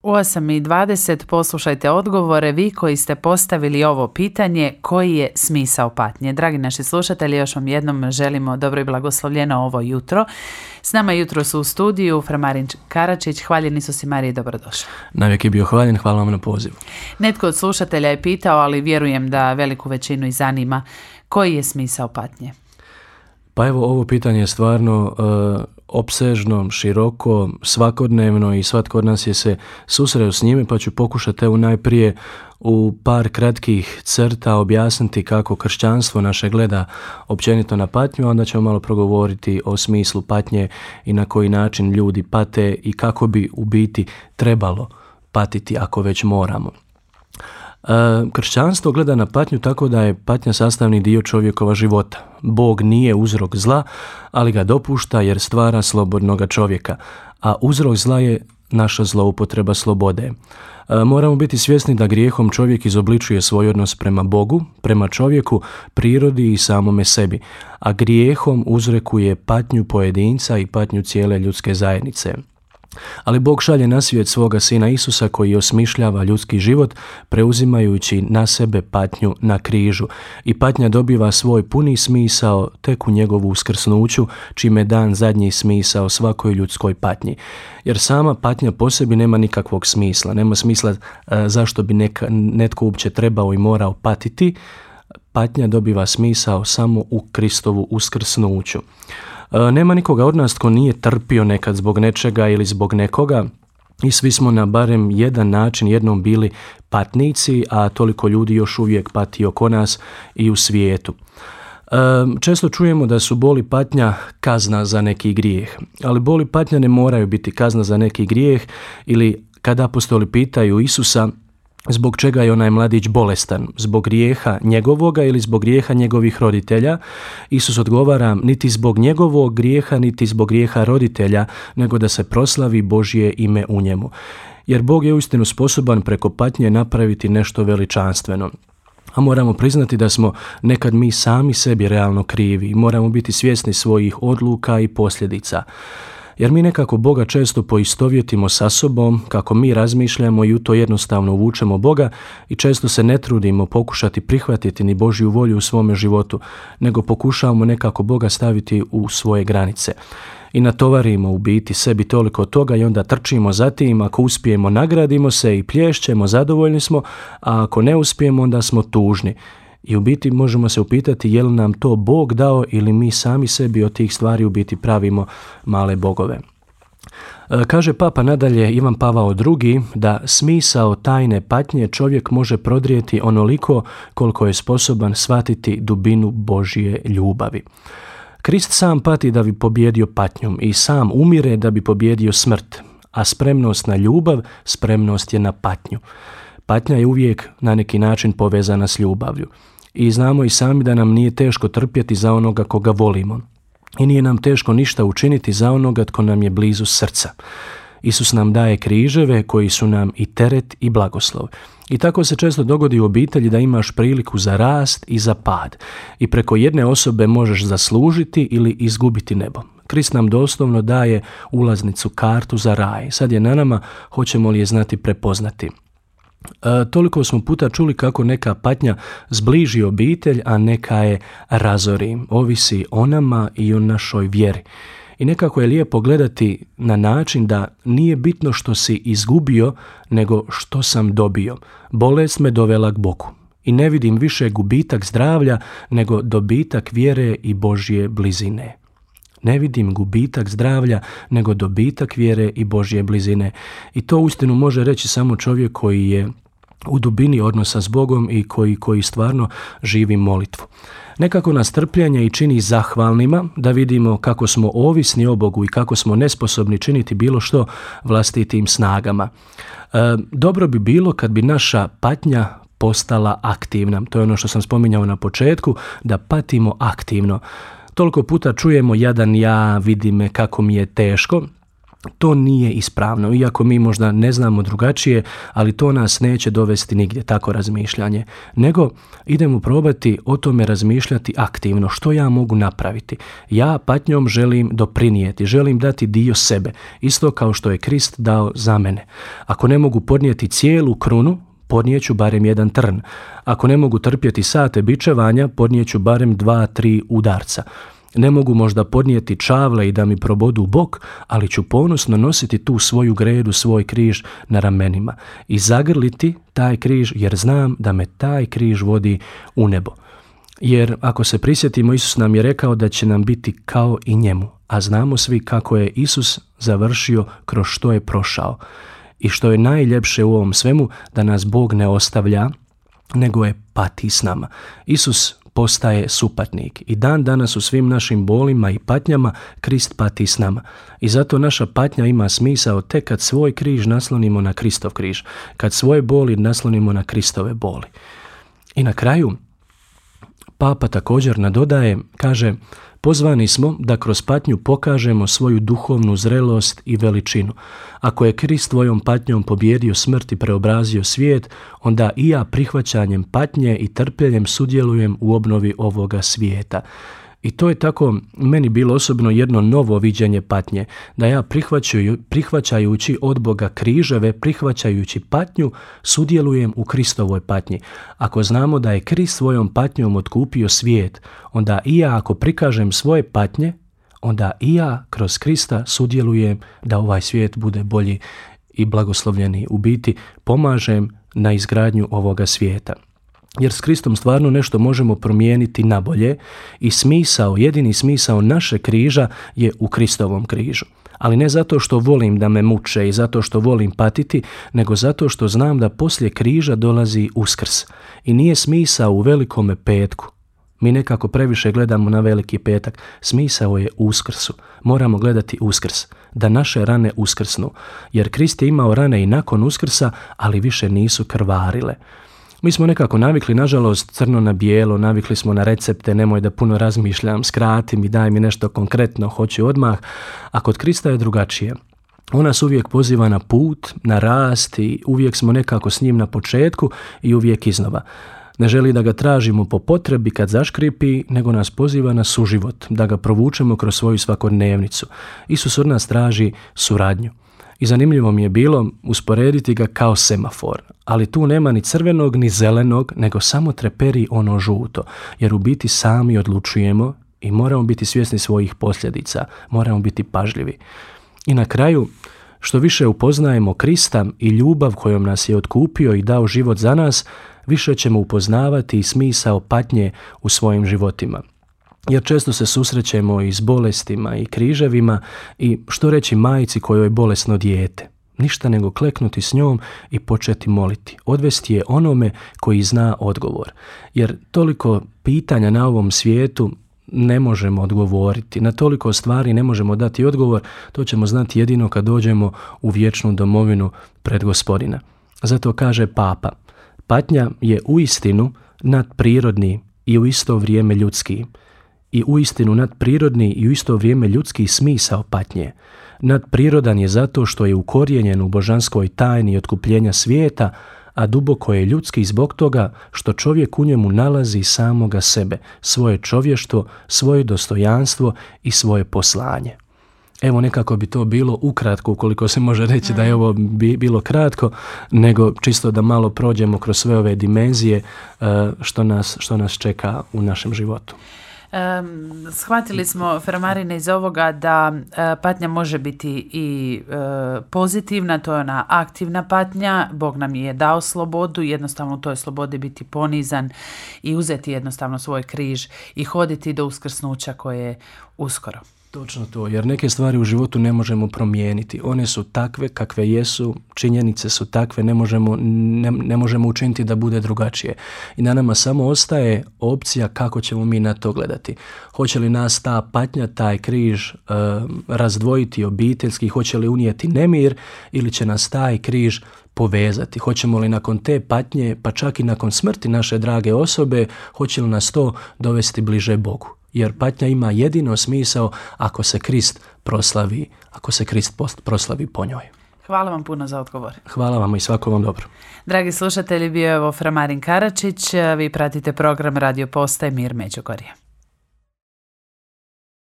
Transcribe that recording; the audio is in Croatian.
U 8:20 poslušajte odgovore vi koji ste postavili ovo pitanje, koji je smisao patnje. Dragi naši slušatelji, još vam jednom želimo dobro i blagoslovljeno ovo jutro. S nama jutro su u studiju Fra Marin Karačić. Hvaljen Isus i Marija, dobrodošli. Navijek je bio hvaljen, hvala vam na pozivu. Netko od slušatelja je pitao, ali vjerujem da veliku većinu i zanima, koji je smisao patnje? Pa evo, ovo pitanje je stvarno opsežno, široko, svakodnevno i svatko od nas je se susreo s njime, pa ću pokušati evo najprije u par kratkih crta objasniti kako kršćanstvo naše gleda općenito na patnju, a onda ćemo malo progovoriti o smislu patnje i na koji način ljudi pate i kako bi u biti trebalo patiti ako već moramo. Kršćanstvo gleda na patnju tako da je patnja sastavni dio čovjekova života. Bog nije uzrok zla, ali ga dopušta jer stvara slobodnoga čovjeka, a uzrok zla je naša zloupotreba slobode. Moramo biti svjesni da grijehom čovjek izobličuje svoj odnos prema Bogu, prema čovjeku, prirodi i samome sebi, a grijehom uzrekuje patnju pojedinca i patnju cijele ljudske zajednice. Ali Bog šalje na svijet svoga Sina Isusa koji osmišljava ljudski život preuzimajući na sebe patnju na križu i patnja dobiva svoj puni smisao tek u njegovu uskrsnuću, čime dan zadnji smisao svakoj ljudskoj patnji. Jer sama patnja po sebi nema nikakvog smisla, nema smisla zašto bi netko uopće trebao i morao patiti. Patnja dobiva smisao samo u Kristovu uskrsnuću. Nema nikoga od nas tko nije trpio nekad zbog nečega ili zbog nekoga i svi smo na barem jedan način jednom bili patnici, a toliko ljudi još uvijek pati oko nas i u svijetu. Često čujemo da su bol i patnja kazna za neki grijeh, ali bol i patnja ne moraju biti kazna za neki grijeh ili kada apostoli pitaju Isusa zbog čega je onaj mladić bolestan, zbog grijeha njegovoga ili zbog grijeha njegovih roditelja, Isus odgovara niti zbog njegovog grijeha, niti zbog grijeha roditelja, nego da se proslavi Božje ime u njemu. Jer Bog je uistinu sposoban preko patnje napraviti nešto veličanstveno. A moramo priznati da smo nekad mi sami sebi realno krivi i moramo biti svjesni svojih odluka i posljedica. Jer mi nekako Boga često poistovjetimo sa sobom, kako mi razmišljamo i u to jednostavno uvučemo Boga i često se ne trudimo pokušati prihvatiti ni Božju volju u svome životu, nego pokušavamo nekako Boga staviti u svoje granice. I natovarimo u biti sebi toliko toga i onda trčimo za tim, ako uspijemo nagradimo se i plješćemo, zadovoljni smo, a ako ne uspijemo onda smo tužni. I u biti možemo se upitati je li nam to Bog dao ili mi sami sebi od tih stvari u biti pravimo male bogove. Kaže Papa nadalje Ivan Pavao II da smisao tajne patnje čovjek može prodrijeti onoliko koliko je sposoban shvatiti dubinu Božje ljubavi. Krist sam pati da bi pobjedio patnjom i sam umire da bi pobjedio smrt, a spremnost na ljubav, spremnost je na patnju. Patnja je uvijek na neki način povezana s ljubavlju. I znamo i sami da nam nije teško trpjeti za onoga koga volimo. I nije nam teško ništa učiniti za onoga tko nam je blizu srca. Isus nam daje križeve koji su nam i teret i blagoslov. I tako se često dogodi u obitelji da imaš priliku za rast i za pad. I preko jedne osobe možeš zaslužiti ili izgubiti nebo. Krist nam doslovno daje ulaznicu, kartu za raj. Sad je na nama, hoćemo li je znati prepoznati. Toliko smo puta čuli kako neka patnja zbliži obitelj, a neka je razori. Ovisi o nama i o našoj vjeri. I nekako je lijepo gledati na način da nije bitno što si izgubio, nego što sam dobio. Bolest me dovela k Bogu. I ne vidim više gubitak zdravlja, nego dobitak vjere i Božje blizine. Ne vidim gubitak zdravlja, nego dobitak vjere i Božje blizine. I to uistinu može reći samo čovjek koji je u dubini odnosa s Bogom i koji stvarno živi molitvu. Nekako nas trpljenje i čini zahvalnima da vidimo kako smo ovisni o Bogu i kako smo nesposobni činiti bilo što vlastitim snagama. Dobro bi bilo kad bi naša patnja postala aktivna. To je ono što sam spominjao na početku, da patimo aktivno. Toliko puta čujemo jadan ja, vidi me kako mi je teško. To nije ispravno, iako mi možda ne znamo drugačije, ali to nas neće dovesti nigdje, tako razmišljanje. Nego idemo probati o tome razmišljati aktivno, što ja mogu napraviti. Ja patnjom želim doprinijeti, želim dati dio sebe, isto kao što je Krist dao za mene. Ako ne mogu podnijeti cijelu krunu, podnijeću barem jedan trn. Ako ne mogu trpjeti sate bičevanja, podnijeću barem 2-3 udarca. Ne mogu možda podnijeti čavle i da mi probodu bok, ali ću ponosno nositi tu svoju gredu, svoj križ na ramenima i zagrliti taj križ, jer znam da me taj križ vodi u nebo. Jer ako se prisjetimo, Isus nam je rekao da će nam biti kao i njemu, a znamo svi kako je Isus završio, kroz što je prošao. I što je najljepše u ovom svemu, da nas Bog ne ostavlja, nego je pati s nama. Isus postaje supatnik i dan danas u svim našim bolima i patnjama Krist pati s nama. I zato naša patnja ima smisao tek kad svoj križ naslonimo na Kristov križ, kad svoje boli naslonimo na Kristove boli. I na kraju, Papa također nadodaje, kaže: pozvani smo da kroz patnju pokažemo svoju duhovnu zrelost i veličinu. Ako je Krist svojom patnjom pobijedio smrt i preobrazio svijet, onda i ja prihvaćanjem patnje i trpljenjem sudjelujem u obnovi ovoga svijeta. I to je tako meni bilo osobno jedno novo viđenje patnje, da ja prihvaćajući od Boga križeve, prihvaćajući patnju, sudjelujem u Kristovoj patnji. Ako znamo da je Krist svojom patnjom otkupio svijet, onda i ja ako prikažem svoje patnje, onda i ja kroz Krista sudjelujem da ovaj svijet bude bolji i blagoslovljeniji. U biti pomažem na izgradnju ovoga svijeta. Jer s Kristom stvarno nešto možemo promijeniti na bolje i smisao, jedini smisao naše križa je u Kristovom križu. Ali ne zato što volim da me muče i zato što volim patiti, nego zato što znam da poslije križa dolazi Uskrs. I nije smisao u Velikome petku. Mi nekako previše gledamo na Veliki petak. Smisao je u Uskrsu. Moramo gledati Uskrs, da naše rane uskrsnu. Jer Krist je imao rane i nakon Uskrsa, ali više nisu krvarile. Mi smo nekako navikli, nažalost, crno na bijelo, navikli smo na recepte, nemoj da puno razmišljam, skrati mi, daj mi nešto konkretno, hoću odmah, a kod Krista je drugačije. On nas uvijek poziva na put, na rast i uvijek smo nekako s njim na početku i uvijek iznova. Ne želi da ga tražimo po potrebi kad zaškripi, nego nas poziva na suživot, da ga provučemo kroz svoju svakodnevnicu. Isus od nas traži suradnju. I zanimljivo mi je bilo usporediti ga kao semafor, ali tu nema ni crvenog ni zelenog, nego samo treperi ono žuto, jer u biti sami odlučujemo i moramo biti svjesni svojih posljedica, moramo biti pažljivi. I na kraju, što više upoznajemo Krista i ljubav kojom nas je otkupio i dao život za nas, više ćemo upoznavati i smisao patnje u svojim životima. Jer često se susrećemo i s bolestima i križevima i što reći majci kojoj je bolesno dijete? Ništa nego kleknuti s njom i početi moliti. Odvesti je onome koji zna odgovor. Jer toliko pitanja na ovom svijetu ne možemo odgovoriti. Na toliko stvari ne možemo dati odgovor. To ćemo znati jedino kad dođemo u vječnu domovinu pred Gospodina. Zato kaže Papa: patnja je uistinu nadprirodni i u isto vrijeme ljudski. I uistinu nadprirodni i u isto vrijeme ljudski smisao patnje. Nadprirodan je zato što je ukorijenjen u božanskoj tajni otkupljenja svijeta, a duboko je ljudski zbog toga što čovjek u njemu nalazi samoga sebe, svoje čovještvo, svoje dostojanstvo i svoje poslanje. Evo, nekako bi to bilo ukratko, ukoliko se može reći da je ovo bilo kratko, nego čisto da malo prođemo kroz sve ove dimenzije što nas čeka u našem životu. Shvatili smo, Framarine, iz ovoga da patnja može biti i pozitivna, to je ona aktivna patnja. Bog nam je dao slobodu, jednostavno u toj slobodi biti ponizan i uzeti jednostavno svoj križ i hoditi do uskrsnuća koje je uskoro. Točno to, jer neke stvari u životu ne možemo promijeniti. One su takve kakve jesu, činjenice su takve, ne možemo učiniti da bude drugačije. I na nama samo ostaje opcija kako ćemo mi na to gledati. Hoće li nas ta patnja, taj križ razdvojiti obiteljski, hoće li unijeti nemir ili će nas taj križ povezati. Hoćemo li nakon te patnje, pa čak i nakon smrti naše drage osobe, hoće li nas to dovesti bliže Bogu. jer patnja ima jedino smisao ako se Krist proslavi, proslavi po njoj. Hvala vam puno za odgovor. Hvala vam i svako vam dobro. Dragi slušatelji, bio je ovo Framarin Karačić. Vi pratite program Radio Postaje Mir Međugorje.